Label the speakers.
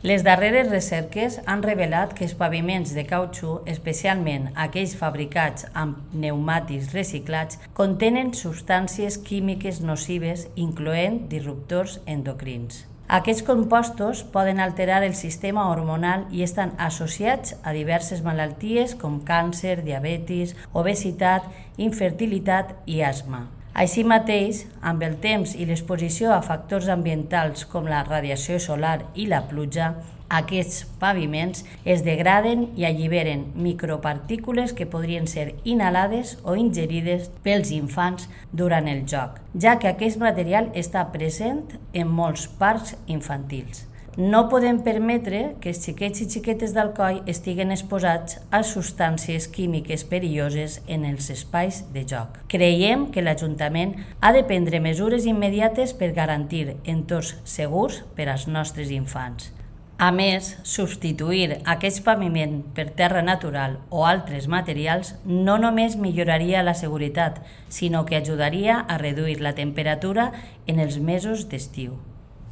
Speaker 1: Les darreres recerques han revelat que els paviments de cautxú, especialment aquells fabricats amb pneumàtics reciclats, contenen substàncies químiques nocives, incloent disruptors endocrins. Aquests compostos poden alterar el sistema hormonal i estan associats a diverses malalties com càncer, diabetis, obesitat, infertilitat i asma. Així mateix, amb el temps i l'exposició a factors ambientals com la radiació solar i la pluja, aquests paviments es degraden i alliberen micropartícules que podrien ser inhalades o ingerides pels infants durant el joc, ja que aquest material està present en molts parcs infantils. No podem permetre que els xiquets i xiquetes d'Alcoi estiguen exposats a substàncies químiques perilloses en els espais de joc. Creiem que l'Ajuntament ha de prendre mesures immediates per garantir entorns segurs per als nostres infants. A més, substituir aquest paviment per terra natural o altres materials no només milloraria la seguretat, sinó que ajudaria a reduir la temperatura en els mesos d'estiu.